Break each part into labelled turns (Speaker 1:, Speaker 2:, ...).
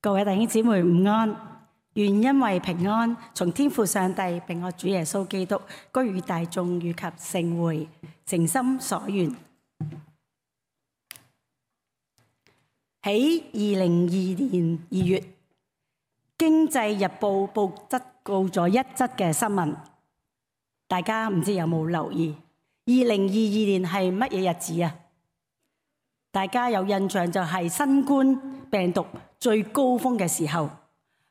Speaker 1: 各位弟兄姊妹午安，願因為平安，從天父上帝並我主耶穌基督居與大眾以及聖會，誠心所願。喺2022年2月，《經濟日報》報咗一則嘅新聞，大家唔知有冇留意？2022年係乜嘢日子啊？大家有印象就係新冠病毒最高峰嘅時候，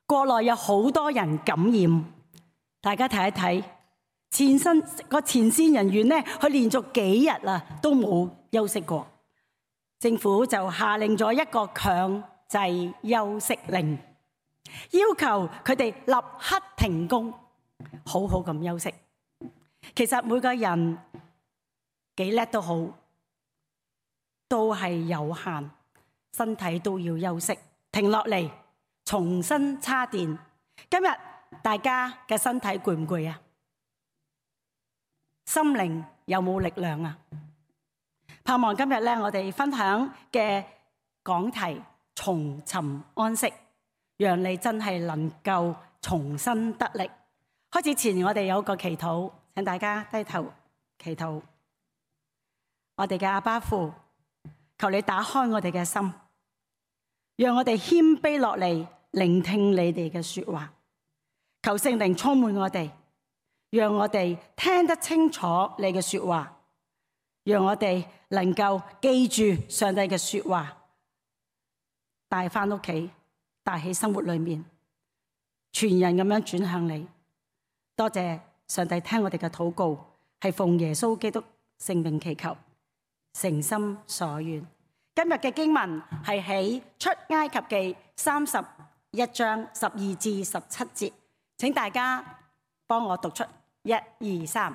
Speaker 1: 國內有好多人感染。大家睇一睇前線人員咧，佢連續幾日啊都冇休息過。政府就下令咗一個強制休息令，要求佢哋立刻停工，好好咁休息。其實每個人幾叻都好，都係有限，身體都要休息，停落嚟，重新叉電。今日大家嘅身體攰唔攰啊？心靈有冇力量啊？盼望今日咧，我哋分享嘅講題重尋安息，讓你真係能夠重新得力。開始前，我哋有個祈禱，請大家低頭祈禱。我哋嘅阿爸父，求你打開我哋嘅心，讓我哋謙卑落嚟，聆聽你哋嘅說話。求聖靈充滿我哋，讓我哋聽得清楚你嘅說話，讓我哋能夠記住上帝嘅說話，帶翻屋企，帶喺生活裏面，全人咁樣轉向你。多謝上帝聽我哋嘅禱告，係奉耶穌基督聖名祈求，誠心所願。今日嘅經文係喺出埃及記31章12至17節，請大家幫我讀出1、2、3。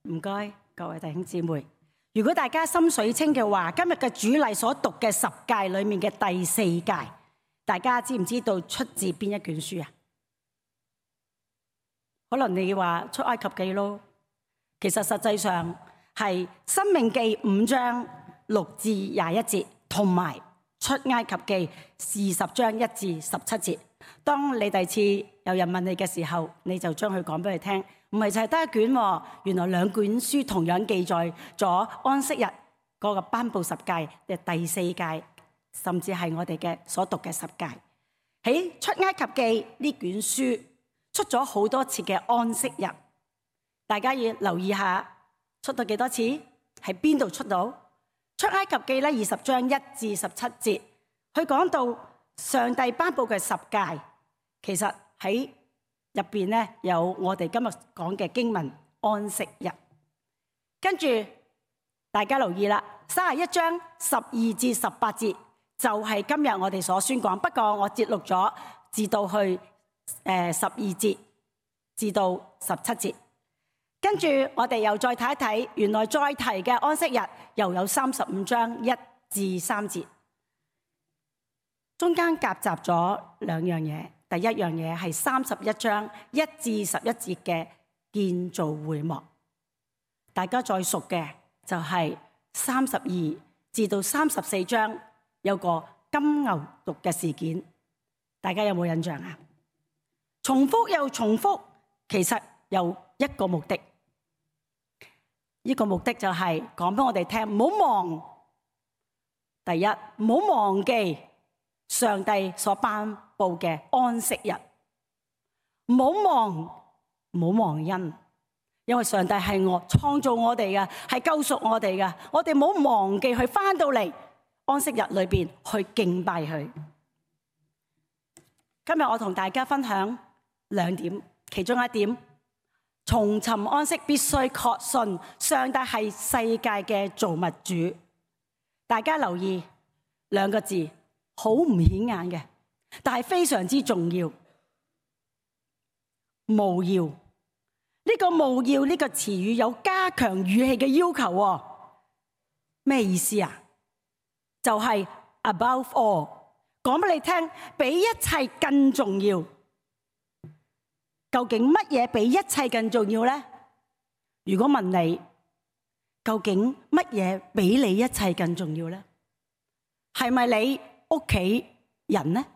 Speaker 1: 唔該，各位弟兄姊妹。如果大家心水清嘅話，今日嘅主禮所讀嘅10誡裏面嘅第4誡，大家知唔知道出自邊一卷書啊？可能你話出埃及記咯，其實實際上係申命記5章6至21節，同埋出埃及記20章1至17節。當你第二次有人問你嘅時候，你就將佢講俾佢聽。唔係就係得一卷喎，原來2卷書同樣記載咗安息日嗰個頒布10誡嘅第4誡，甚至係我哋嘅所讀嘅10誡。喺出埃及記呢卷書出咗好多次嘅安息日，大家要留意下出到幾多次，喺邊度出到？出埃及記咧20章1至17節，佢講到上帝頒布嘅10誡，其實喺入邊咧有我哋今日講嘅經文安息日，跟住大家留意啦，31章12至18節就係今日我哋所宣講，不過我節錄咗至到去12節至到17節，跟住我哋又再睇一睇，原來再提嘅安息日又有35章1至3節，中間夾雜咗2樣嘢。第一樣嘢係31章1至11節嘅建造會幕，大家再熟嘅就係32至到34章有個金牛犢嘅事件，大家有冇印象啊？重複又重複，其實有一個目的，呢個目的就係講俾我哋聽，唔好忘，第一唔好忘記上帝所頒布嘅安息日。唔好忘恩，因為上帝係創造我哋嘅，係救贖我哋嘅。我哋唔好忘記去返到嚟安息日裏邊去敬拜佢。今日我同大家分享2點，其中一點，重尋安息必須確信上帝係世界嘅造物主。大家留意2個字，好唔顯眼嘅，但係非常之重要。務要，呢個務要呢個詞語有加強語氣嘅要求喎。咩意思啊？就係 above all， 講俾你聽，比一切更重要。究竟乜嘢比一切更重要呢？如果問你，究竟乜嘢比你一切更重要呢？係咪你屋企人呢？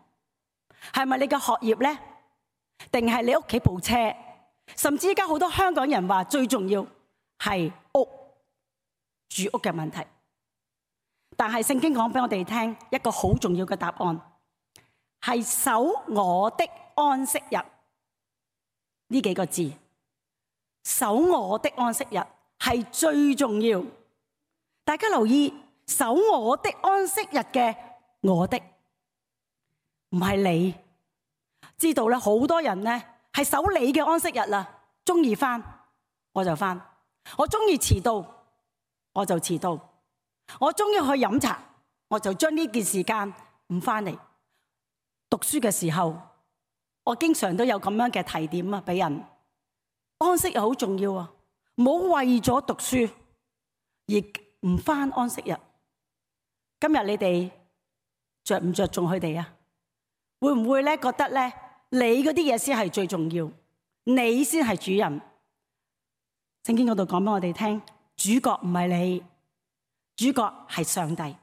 Speaker 1: 係咪你嘅學業呢？定係你屋企部車？甚至而家好多香港人話最重要係住屋嘅問題。但係聖經講俾我哋聽一個好重要嘅答案，係守我的安息日。呢幾個字，守我的安息日係最重要。大家留意，守我的安息日嘅我的，唔係你。知道咧，好多人咧係守你嘅安息日啦，中意返我就返，我中意遲到我就遲到，我中意去飲茶我就將呢件時間唔返嚟。讀書嘅時候，我經常都有咁樣嘅提點啊，俾人安息日好重要啊，唔好為咗讀書而唔返安息日。今日你哋着唔着重佢哋啊？會唔會咧覺得咧你嗰啲嘢先係最重要，你先係主人？聖經嗰度講俾我哋聽，主角唔係你，主角係上帝，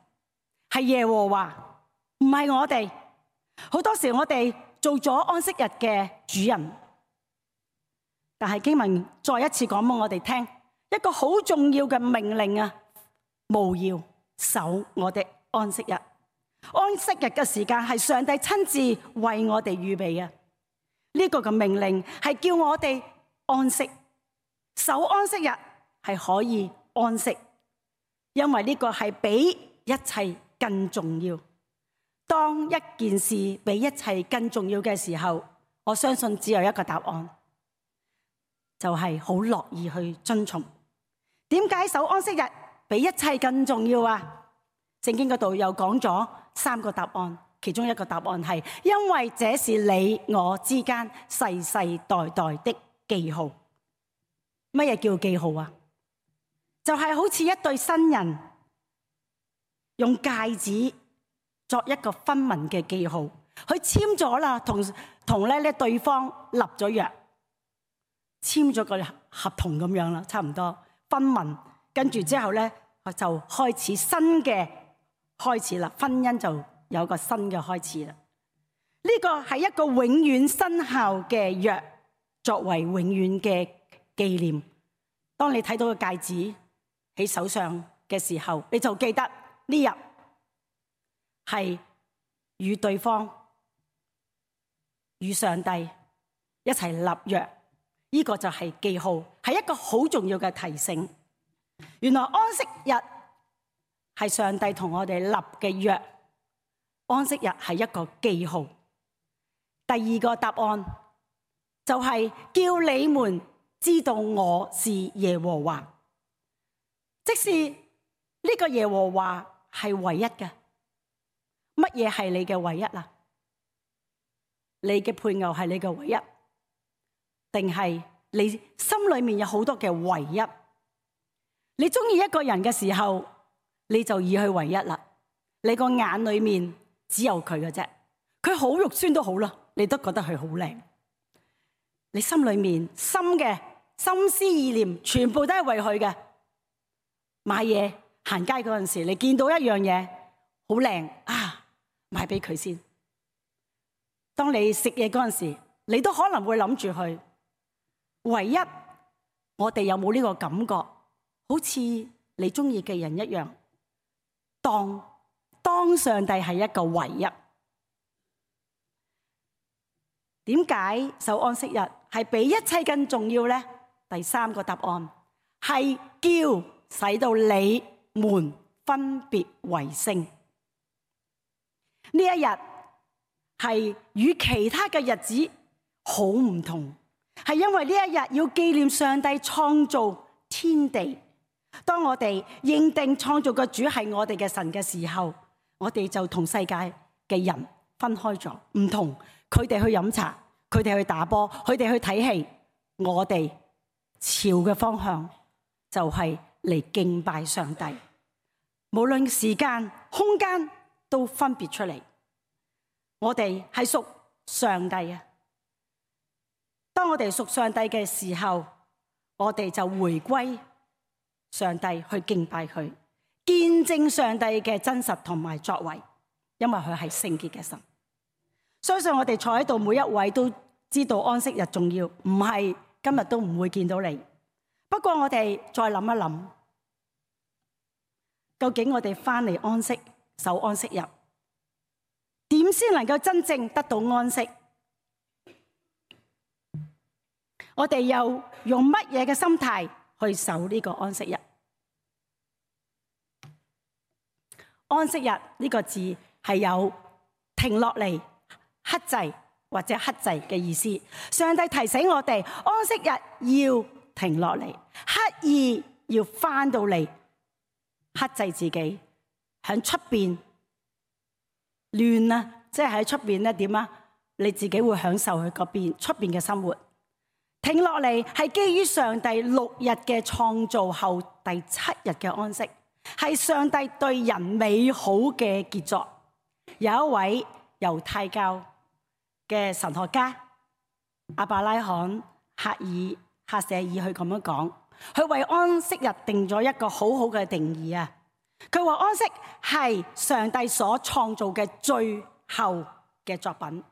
Speaker 1: 係耶和華，唔係我哋。好多時我哋做咗安息日嘅主人，但係經文再一次講俾我哋聽一個好重要嘅命令啊，務要守我的安息日。安息日嘅時間係上帝親自為我哋預備嘅，呢個嘅命令係叫我哋安息，守安息日係可以安息，因為呢個係比一切更重要。當一件事比一切更重要嘅時候，我相信只有一個答案，就係好樂意去遵從。點解守安息日比一切更重要啊？聖經嗰度又講咗3個答案，其中一個答案係因為這是你我之間世世代代的記號。乜嘢叫記號啊？就係好似一對新人用戒指作一個婚盟嘅記號，佢簽咗啦，同咧對方立咗約，簽咗個合同咁樣啦，差唔多婚盟。跟住之後咧，就開始新嘅開始啦，婚姻就有個新嘅開始啦。呢個係一個永遠生效嘅約，作為永遠嘅紀念。當你睇到個戒指喺手上嘅時候，你就記得呢日係與對方、與上帝一齊立約。呢個就係記號，係一個好重要嘅提醒。原來安息日係上帝同我哋立嘅約，安息日係一個記號。第二個答案就係叫你們知道我是耶和華，即是呢個耶和華係唯一嘅。乜嘢係你嘅唯一啊？你嘅配偶係你嘅唯一，定係你心裏面有好多嘅唯一？你中意一個人嘅時候，你就以佢為一啦。你個眼裏面只有佢嘅啫，佢好肉酸都好啦，你都覺得佢好靚。你心裏面心嘅心思意念全部都係為佢嘅。買嘢行街嗰陣時，你見到一樣嘢好靚啊，買俾佢先。當你食嘢嗰陣時，你都可能會諗住佢。唯一我哋有冇呢個感覺？好似你中意嘅人一樣，當上帝係一個唯一，點解守安息日係比一切更重要呢？第三個答案係叫使到你們分別為聖。呢一日係與其他嘅日子好唔同，係因為呢一日要紀念上帝創造天地。當我哋認定創造嘅主係我哋嘅神嘅時候，我哋就同世界嘅人分開咗，唔同。佢哋去飲茶，佢哋去打波，佢哋去睇戲，我哋朝嘅方向就係嚟敬拜上帝。無論時間、空間都分別出嚟，我哋係屬上帝啊！當我哋屬上帝嘅時候，我哋就回歸上帝去敬拜佢，見證上帝嘅真實同埋作為，因為佢係聖潔嘅神。相信我哋坐喺度每一位都知道安息日重要，唔係今日都唔會見到你。不過我哋再諗一諗，究竟我哋翻嚟安息守安息日，點先能夠真正得到安息？我哋又用乜嘢嘅心態去守呢個安息日？安息日呢個字係有停落嚟、克制或者克制嘅意思。上帝提醒我哋，安息日要停落嚟，刻意要翻到嚟，克制自己。喺出邊亂啊，即係喺出邊咧點啊？你自己會享受佢嗰邊出邊嘅生活。停落嚟係基於上帝6日嘅創造後第7日嘅安息，係上帝對人美好嘅傑作。有一位猶太教嘅神學家亞伯拉罕赫舍爾佢咁樣講，佢為安息日定咗一個好好嘅定義啊！佢話安息係上帝所創造嘅最後嘅作品，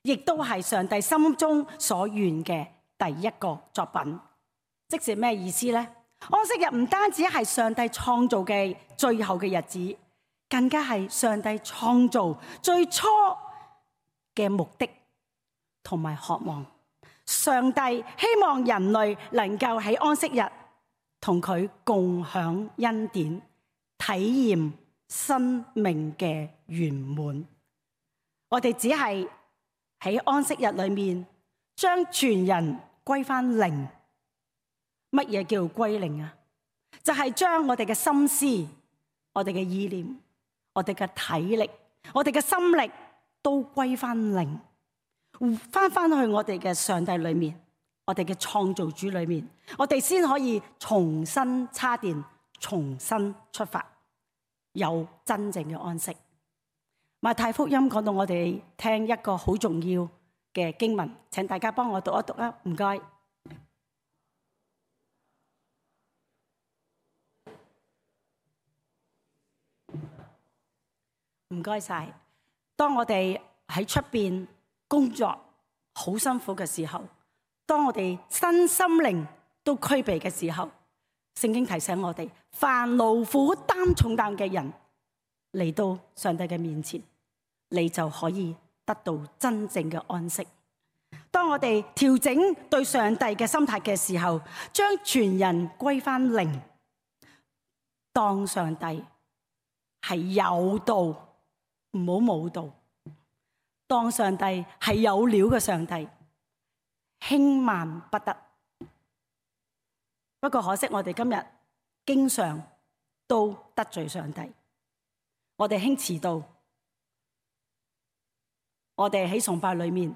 Speaker 1: 亦都係上帝心中所願嘅第一個作品。即是咩意思呢？安息日唔單止係上帝創造嘅最後嘅日子，更加係上帝創造最初嘅目的同埋渴望。上帝希望人類能夠喺安息日同佢共享恩典，體驗生命嘅圓滿。我哋只係喺安息日裏面將全人歸翻零。乜嘢叫歸零啊？就係將我哋嘅心思、我哋嘅意念、我哋嘅體力、我哋嘅心力都歸翻零，翻去我哋嘅上帝裏面，我哋嘅創造主裏面，我哋先可以重新叉電，重新出發，有真正嘅安息。馬太福音講到我哋聽一個好重要嘅經文，請大家幫我讀一讀啊，唔該。唔該晒。當我哋喺出邊工作好辛苦嘅時候，當我哋身心靈都俱備嘅時候，聖經提醒我哋，凡勞苦擔重擔嘅人嚟到上帝嘅面前，你就可以得到真正嘅安息。當我哋調整對上帝嘅心態嘅時候，將全人歸翻零，當上帝係有道，唔好冇道。當上帝係有料嘅上帝，輕慢不得。不過可惜我哋今日經常都得罪上帝，我哋輕遲到，我哋喺崇拜裏面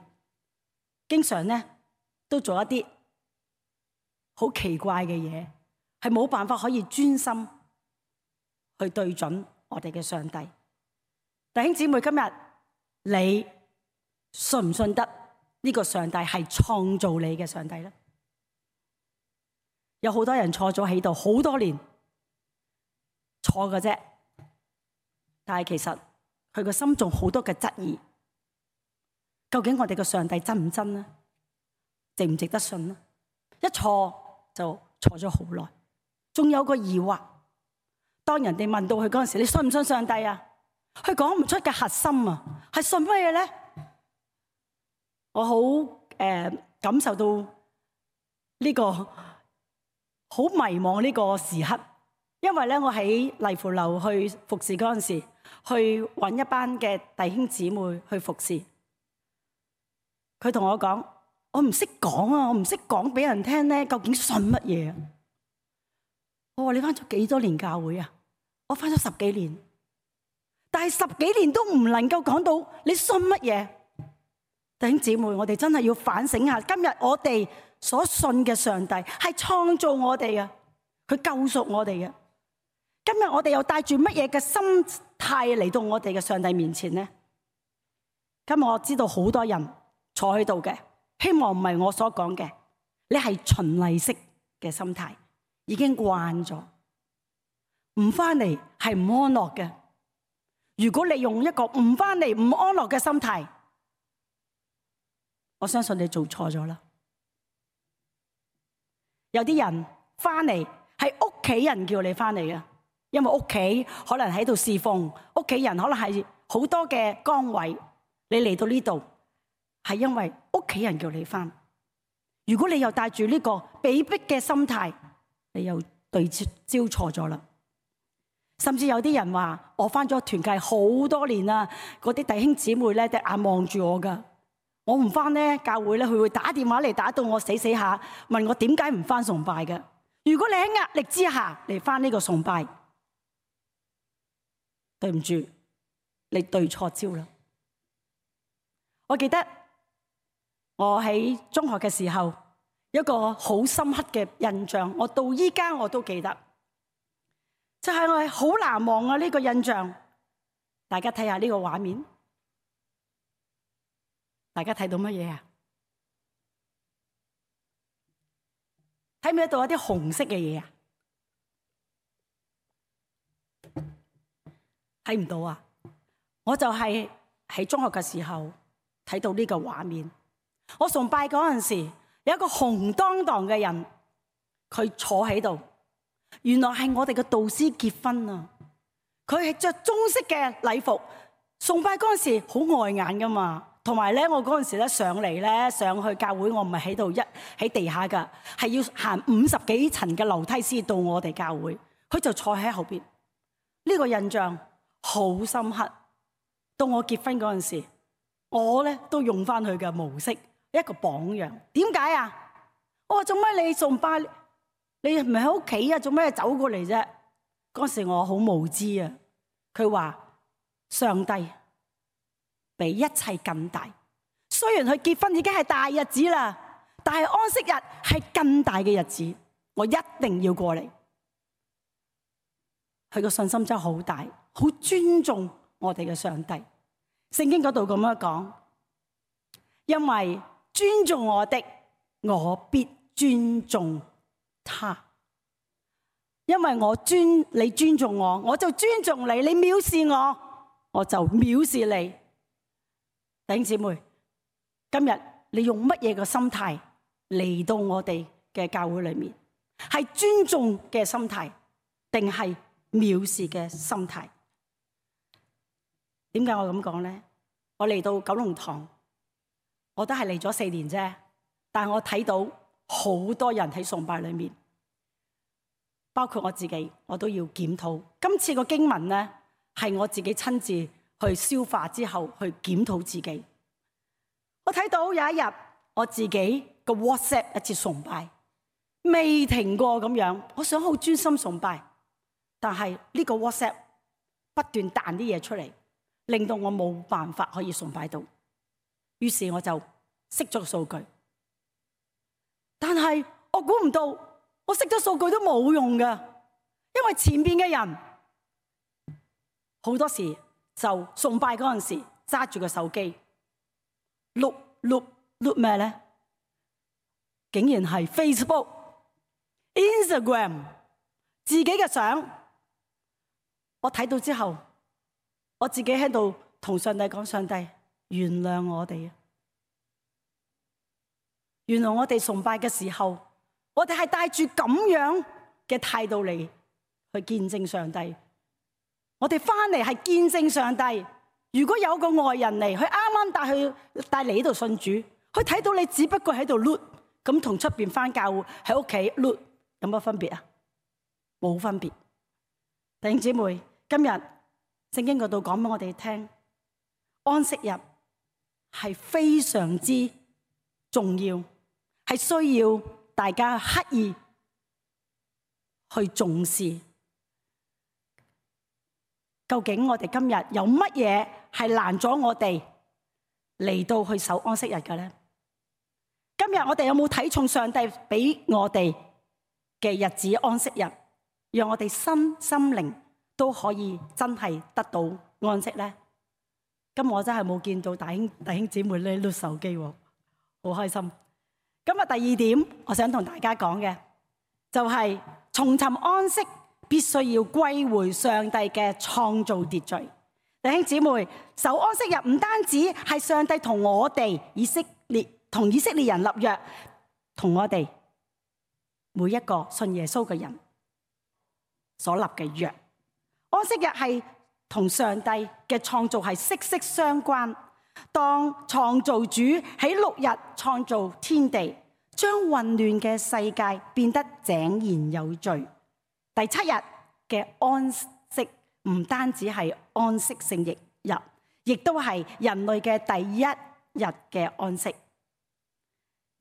Speaker 1: 經常呢都做一啲好奇怪嘅嘢，係冇辦法可以專心去對準我哋嘅上帝。弟兄姊妹，今日你信唔信得呢個上帝係創造你嘅上帝呢？有好多人坐咗喺度好多年，錯嘅啫，但係其實佢個心仲好多嘅質疑。究竟我哋嘅上帝真唔真呢？值唔值得信呢？一錯就錯咗好耐，仲有個疑惑。當人哋問到佢嗰陣時，你信唔信上帝？佢講唔出嘅核心係信乜嘢呢？我好感受到呢個好迷茫呢個時刻，因為咧我喺麗芙樓去服侍嗰陣時，去揾一班嘅弟兄姊妹去服侍。佢同我講：我唔識講啊，我唔識講俾人聽咧，究竟信乜嘢啊？我話：你返咗幾多年教會啊？我返咗10幾年，但係10幾年都唔能夠講到你信乜嘢。弟兄姊妹，我哋真係要反省下，今日我哋所信嘅上帝係創造我哋嘅，佢救贖我哋嘅。今日我哋又帶住乜嘢嘅心態嚟到我哋嘅上帝面前呢？今日我知道好多人坐喺度嘅，希望唔係我所講嘅，你係循例式嘅心態，已經慣咗，唔返嚟係唔安樂嘅。如果你用一個唔返嚟唔安樂嘅心態，我相信你做錯咗啦。有啲人返嚟係屋企人叫你返嚟嘅，因為屋企可能喺度侍奉，屋企人可能係好多嘅崗位，你嚟到呢度係因為屋企人叫你返。如果你又帶住呢個被逼嘅心態，你又對焦錯咗啦。甚至有啲人話：我返咗團契好多年啦，嗰啲弟兄姊妹咧隻眼望住我㗎。我唔返咧教會咧，佢會打電話嚟打到我死下，問我點解唔返崇拜嘅。如果你喺壓力之下嚟返呢個崇拜，對唔住，你對錯焦啦。我記得我喺中學嘅時候，一個好深刻嘅印象，我到依家我都記得，就係我係好難忘啊呢個印象。大家睇下呢個畫面。大家睇到乜嘢啊？睇唔睇到一啲紅色嘅嘢啊？睇唔到啊！我就係喺中學嘅時候睇到呢個畫面。我崇拜嗰陣時，有一個紅當當嘅人，佢坐喺度。原來係我哋嘅導師結婚啊！佢係着中式嘅禮服，崇拜嗰陣時好礙眼噶嘛。同埋咧，我嗰陣時咧上嚟咧上去教會，我唔係喺度喺地下噶，係要行50幾層嘅樓梯先到我哋教會。佢就坐喺後邊，呢個印象好深刻。到我結婚嗰陣時，我咧都用翻佢嘅模式，一個榜樣。點解啊？我話做乜你崇拜？你唔係喺屋企啊？做咩走過嚟啫？嗰時我好無知啊。佢話上帝比一切更大，雖然佢結婚已經係大日子啦，但係安息日係更大嘅日子，我一定要過嚟。佢個信心真係好大，好尊重我哋嘅上帝。聖經嗰度咁樣講，因為尊重我的，我必尊重他。因為你尊重我，我就尊重你；你藐視我，我就藐視你。弟兄姊妹，今日你用乜嘢嘅心態嚟到我哋嘅教會裏面？係尊重嘅心態，定係藐視嘅心態？點解我咁講呢？我嚟到九龍塘，我都係嚟咗4年啫，但係我睇到好多人喺崇拜裏面，包括我自己，我都要檢討。今次個經文呢，係我自己親自去消化之後去檢討自己。我睇到有一日我自己個 WhatsApp 一次崇拜未停過咁樣，我想好專心崇拜，但係呢個 WhatsApp 不斷彈啲嘢出嚟，令到我冇辦法可以崇拜到。於是我就熄咗個數據。但係我估唔到，我熄咗數據都冇用㗎，因為前面嘅人好多時就崇拜嗰陣時揸住個手機碌咩咧？竟然係 Facebook、Instagram 自己嘅相。我睇到之後，我自己喺度同上帝講：上帝，原諒我哋啊！原來我哋崇拜嘅時候，我哋係帶住咁樣嘅態度嚟去見證上帝。我哋翻嚟係見證上帝。如果有個外人嚟，佢啱啱帶嚟呢度信主，佢睇到你只不過喺度碌，咁同出邊返教會喺屋企碌有乜分別啊？冇分別。弟兄姊妹，今日聖經嗰度講俾我哋聽，安息日係非常之重要，係需要大家刻意去重視。究竟我哋今日有乜嘢係攔咗我哋嚟到去守安息日嘅咧？今日我哋有冇睇重上帝俾我哋嘅日子安息日，讓我哋心靈都可以真係得到安息咧？今日我真係冇見到弟兄姊妹咧碌手機，好開心。今日第二點，我想同大家講嘅就係重尋安息，必須要歸回上帝嘅創造秩序。弟兄姊妹，守安息日唔單止係上帝同我哋以色列人立約，同我哋每一個信耶穌嘅人所立嘅約。安息日係同上帝嘅創造係息息相關。當創造主喺6日創造天地，將混亂嘅世界變得井然有序。第7日嘅安息唔單止係安息聖日，亦都係人類嘅第1日嘅安息。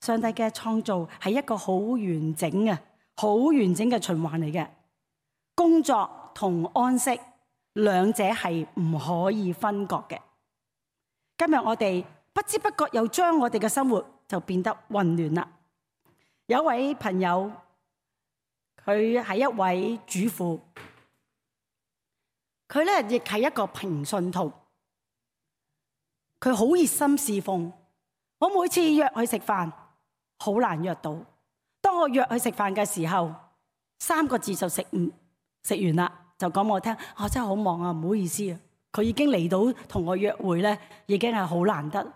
Speaker 1: 上帝嘅創造係一個好完整嘅循環嚟嘅，工作同安息兩者係唔可以分割嘅。今日我哋不知不覺又將我哋嘅生活就變得混亂啦。有一位朋友，佢係一位主婦，佢咧亦係一個平信徒，佢好熱心侍奉。我每次約佢食飯，好難約到。當我約佢食飯嘅時候，3個字就食完啦，就講我聽，我真係好忙啊，唔好意思啊。佢已經嚟到同我約會咧，已經係好難得。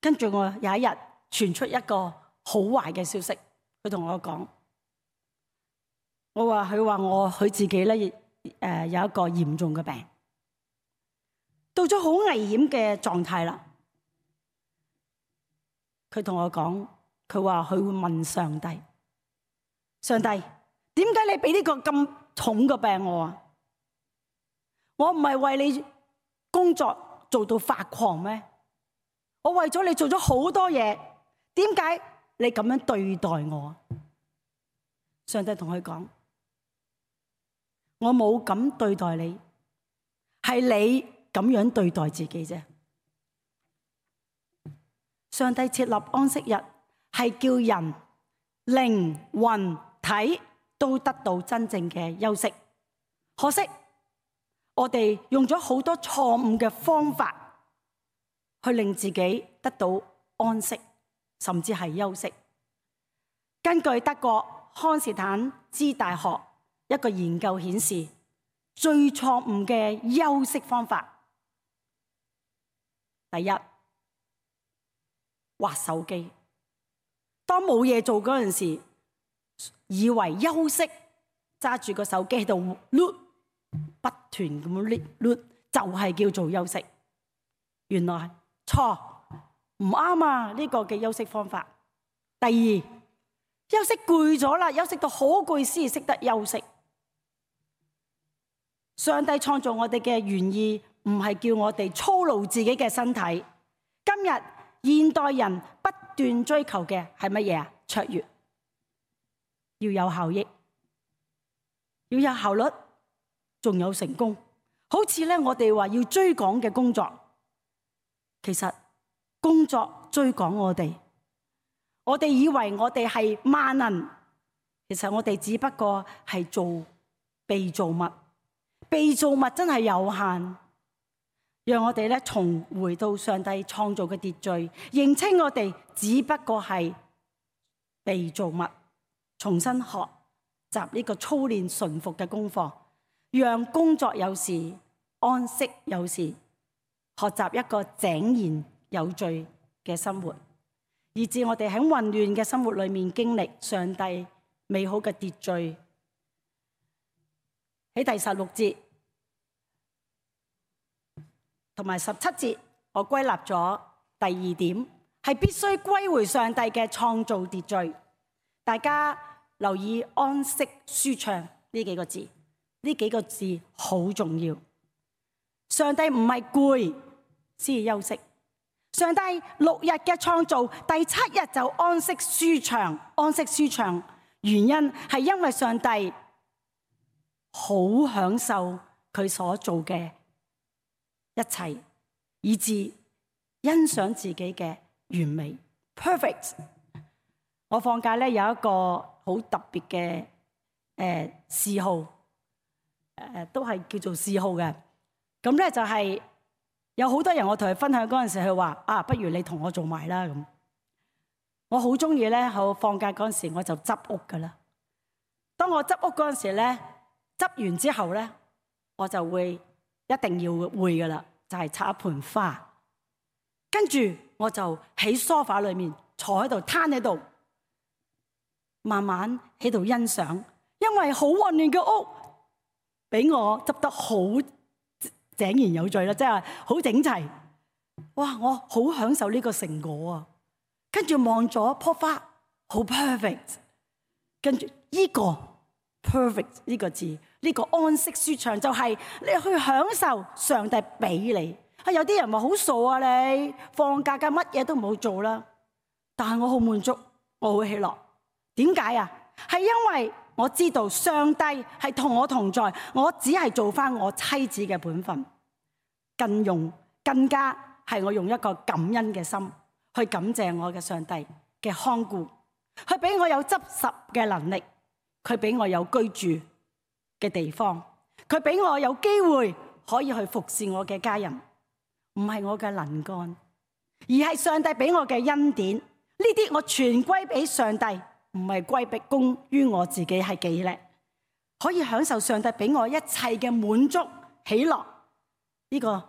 Speaker 1: 跟住我有一日傳出一個好壞嘅消息，佢同我講，佢話佢自己咧有一個嚴重嘅病，到咗好危險嘅狀態啦。佢同我講，佢話佢會問上帝，上帝，點解你俾呢個咁重嘅病我啊？我唔係為你工作做到發狂咩？我為咗你做咗好多嘢，點解你咁樣對待我？上帝同佢講，我冇咁對待你，係你咁樣對待自己啫。上帝設立安息日，係叫人靈魂體都得到真正嘅休息。可惜我哋用咗好多錯誤嘅方法去令自己得到安息，甚至係休息。根據德國康斯坦茲大學一個研究顯示，最錯誤嘅休息方法，第一，滑手機。當冇嘢做嗰陣時，以為休息，揸住個手機喺度碌，不斷咁樣碌，就係叫做休息。原來錯，唔啱啊！呢個嘅休息方法。第二，休息攰咗啦，休息到好攰先識得休息。上帝創造我哋嘅原意唔係叫我哋操勞自己嘅身體。今日現代人不斷追求嘅係乜嘢啊？卓越，要有效益，要有效率，仲有成功。好似咧，我哋話要追趕嘅工作，其實工作追趕我哋以為我哋係萬能，其實我哋只不過係做被造物，被造物真係有限。讓我哋咧重回到上帝創造嘅秩序，認清我哋只不過係被造物，重新學習呢個操練順服嘅功課，讓工作有時，安息有時，學習一個井然有序嘅生活，以致我哋喺混亂嘅生活裏面經歷上帝美好嘅秩序。喺第16節同埋17節，我歸納咗第二點，係必須歸回上帝嘅創造秩序。大家留意安息舒暢呢幾個字，呢幾個字好重要。上帝唔係攰先休息，上帝6日嘅創造，第7日就安息舒暢。安息舒暢原因係因為上帝好享受佢所做嘅一切，以致欣賞自己嘅完美 perfect。 我放假咧有一個好特別嘅嗜好，都係叫做嗜好嘅。咁咧就係有好多人，我同佢分享嗰陣時，佢話啊，不如你同我做埋啦咁。我好中意咧，我放假嗰陣時我就執屋噶啦。當我執屋嗰陣時咧，執完之後咧，我就會一定要會噶啦，就係插一盆花。跟住我就喺梳化裏面坐喺度，攤喺度，慢慢喺度欣賞。因為好混亂嘅屋，俾我執得好井然有序啦，即係好整齊。哇！我好享受呢個成果啊！跟住望咗棵花，好 perfect。跟住呢個 perfect 呢個字，呢個安息舒暢就係你去享受上帝俾你。有啲人話好傻啊，你放假嘅乜嘢都唔好做啦。但係我好滿足，我好喜樂。點解啊？係因為我知道上帝係同我同在，我只係做翻我妻子嘅本分，更加係我用一個感恩嘅心去感謝我嘅上帝嘅看顧，佢俾我有執拾嘅能力，佢俾我有居住嘅地方，佢俾我有機會可以去服侍我嘅家人。唔係我嘅能幹，而係上帝俾我嘅恩典。呢啲我全歸俾上帝，唔係歸功於我自己係幾叻，可以享受上帝俾我一切嘅滿足喜樂。呢個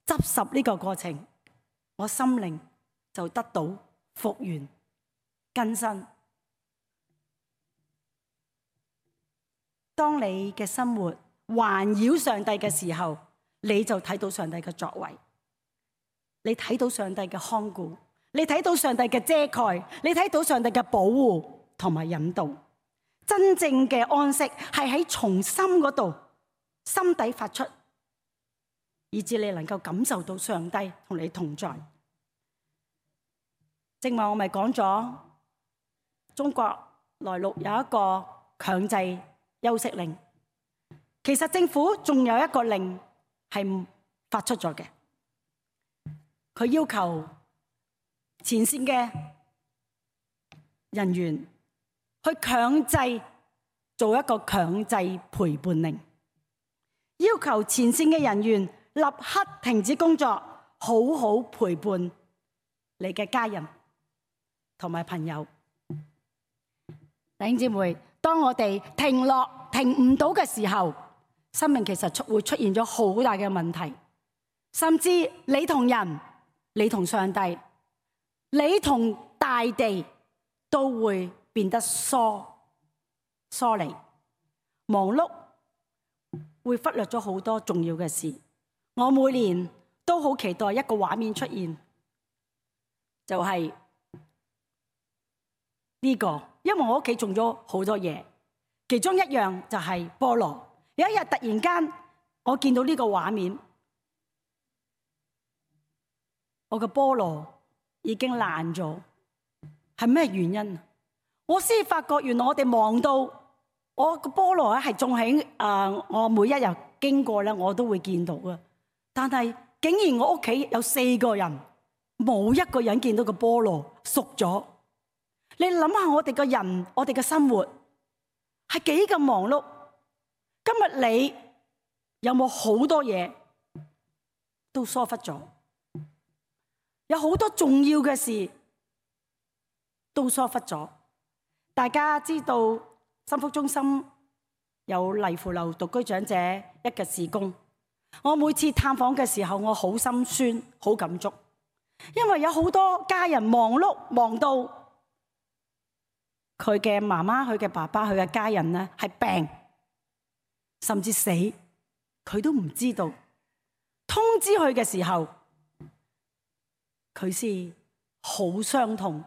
Speaker 1: 執拾呢個過程，我心靈就得到復原更新。當你嘅生活環繞上帝嘅時候，你就睇到上帝嘅作為。你睇到上帝嘅看顧，你睇到上帝嘅遮蓋，你睇到上帝嘅保護同埋引導。真正嘅安息係喺從心嗰度，心底發出，以致你能夠感受到上帝同你同在。正話我咪講咗，中國內陸有一個強制休息令，其實政府仲有一個令係發出咗嘅。佢要求前線嘅人員去強制做一個強制陪伴令，要求前線嘅人員立刻停止工作，好好陪伴你嘅家人同埋朋友。弟兄姊妹，當我哋停唔到嘅時候，生命其實會出現咗好大嘅問題，甚至你同人，你同上帝，你同大地都會變得疏離，忙碌，會忽略咗好多重要嘅事。我每年都好期待一個畫面出現，就係呢個，因為我屋企種咗好多嘢，其中一樣就係菠蘿。有一日突然間，我見到呢個畫面。我嘅菠蘿已經爛咗，係咩原因？我先發覺原來我哋忙到我個菠蘿係種喺我每一日經過咧，我都會見到嘅。但係竟然我屋企有4個人，冇一個人見到個菠蘿熟咗。你諗下我哋個人，我哋嘅生活係幾咁忙碌？今日你有冇好多嘢都疏忽咗？有好多重要嘅事都疏忽咗。大家知道心福中心有麗芙樓獨居長者一嘅事工，我每次探訪嘅時候，我好心酸，好感觸，因為有好多家人忙碌，忙到佢嘅媽媽、佢嘅爸爸、佢嘅家人呢係病，甚至死，佢都唔知道。通知佢嘅時候，佢先好傷痛。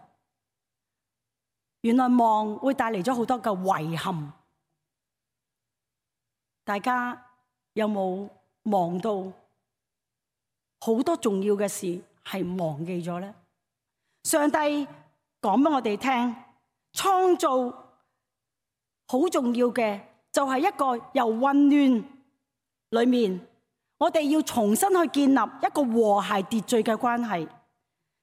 Speaker 1: 原來忙會帶嚟咗好多嘅遺憾。大家有冇忙到好多重要嘅事係忘記咗呢？上帝講俾我哋聽，創造好重要嘅就係一個由混亂裏面，我哋要重新去建立一個和諧秩序嘅關係，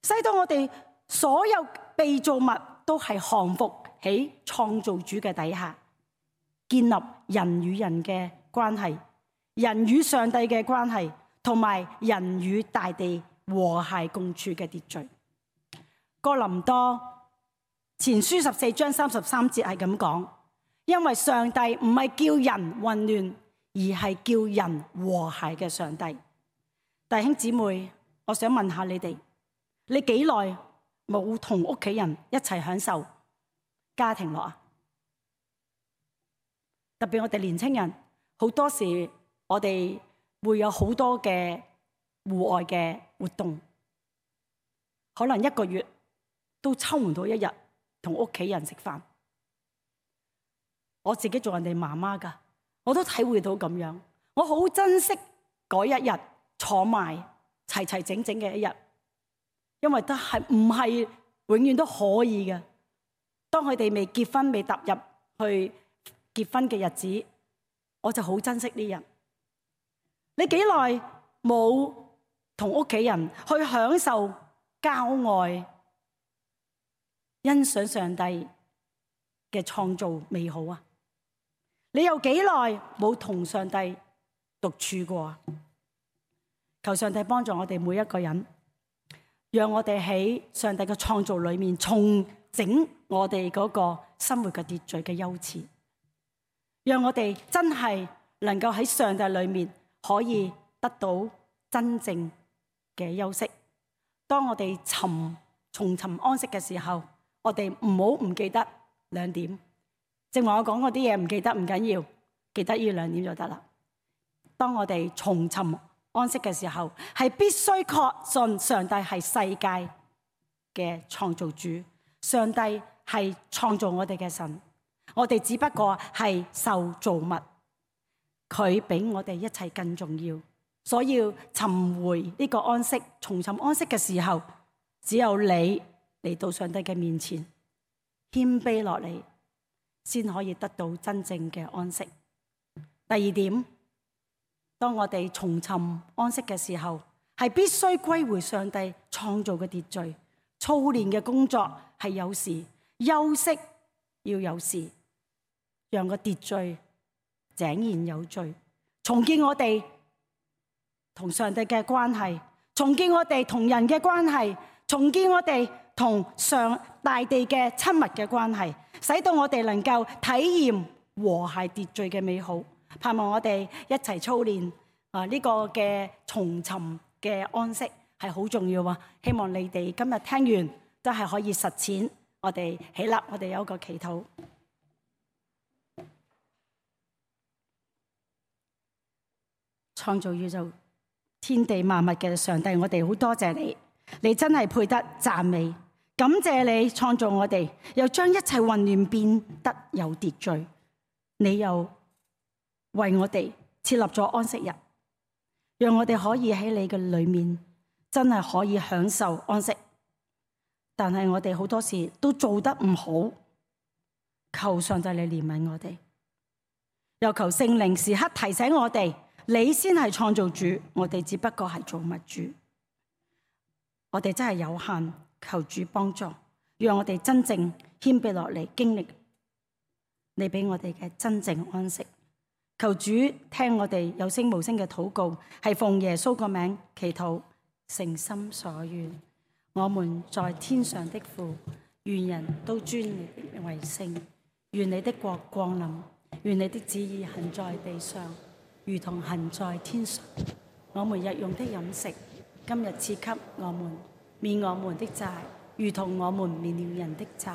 Speaker 1: 使到我哋所有被造物都係降服喺創造主嘅底下，建立人與人嘅關係，人與上帝嘅關係，同埋人與大地和諧共處嘅秩序。哥林多前書14章33節係咁講，因為上帝唔係叫人混亂，而係叫人和諧嘅上帝。弟兄姊妹，我想問下你哋，你幾耐冇同屋企人一齊享受家庭樂啊？特別我哋年青人，好多時我哋會有好多嘅戶外嘅活動，可能一個月都抽唔到一日同屋企人食飯。我自己做人哋媽媽㗎，我都體會到咁樣。我好珍惜嗰一日坐埋齊齊整整嘅一日，因為都係唔係永遠都可以嘅。當佢哋未結婚、未踏入去結婚嘅日子，我就好珍惜呢日。你幾耐冇同屋企人去享受郊外，欣賞上帝嘅創造美好啊？你有幾耐冇同上帝獨處過啊？求上帝幫助我哋每一個人，讓我哋喺上帝嘅創造裏面重整我哋嗰個生活嘅秩序嘅優次，讓我哋真係能夠喺上帝裏面可以得到真正嘅休息。當我哋重尋安息嘅時候，我哋唔好唔記得2點。正話我講嗰啲嘢唔記得唔緊要，記得呢2點就得啦。當我哋重尋安息嘅時候，係必須確信上帝係世界嘅創造主，上帝係創造我哋嘅神，我哋只不過係受造物，佢比我哋一切更重要。所以要尋回呢個安息，重尋安息嘅時候，只有你嚟到上帝嘅面前，謙卑落嚟，先可以得到真正嘅安息。第2點，當我哋重尋安息嘅時候，係必須歸回上帝創造嘅秩序。操練嘅工作係有時，休息要有時，讓個秩序井然有序，重建我哋同上帝嘅關係，重建我哋同人嘅關係，重建我哋同上大地嘅親密嘅關係，使到我哋能夠體驗和諧秩序嘅美好。盼望我哋一齊操練呢個嘅重尋嘅安息係好重要啊！希望你哋今日聽完都係可以實踐。我哋起立，我哋有一個祈禱。創造宇宙天地萬物嘅上帝，我哋好多謝你，你真係配得讚美。感謝你創造我哋，又將一切混亂變得有秩序。你又為我哋設立咗安息日，讓我哋可以喺你嘅裏面真係可以享受安息。但係我哋好多時都做得唔好，求上帝你憐憫我哋，又求聖靈時刻提醒我哋，你先係創造主，我哋只不過係造物主。我哋真係有限，求主幫助，讓我哋真正謙卑落嚟，經歷你俾我哋嘅真正安息。求主聽我哋有聲無聲嘅禱告，係奉耶穌個名祈禱，誠心所願。我們在天上的父，願人都尊你為聖。願你的國降臨，願你的旨意行在地上，如同行在天上。我們日用的飲食，今日賜給我們，免我們的債，如同我們免了人的債。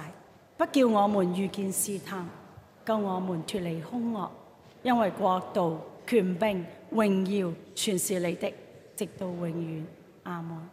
Speaker 1: 不叫我們遇見試探，救我們脫離兇惡。因為國度、權柄、榮耀，全是你的，直到永遠。阿門。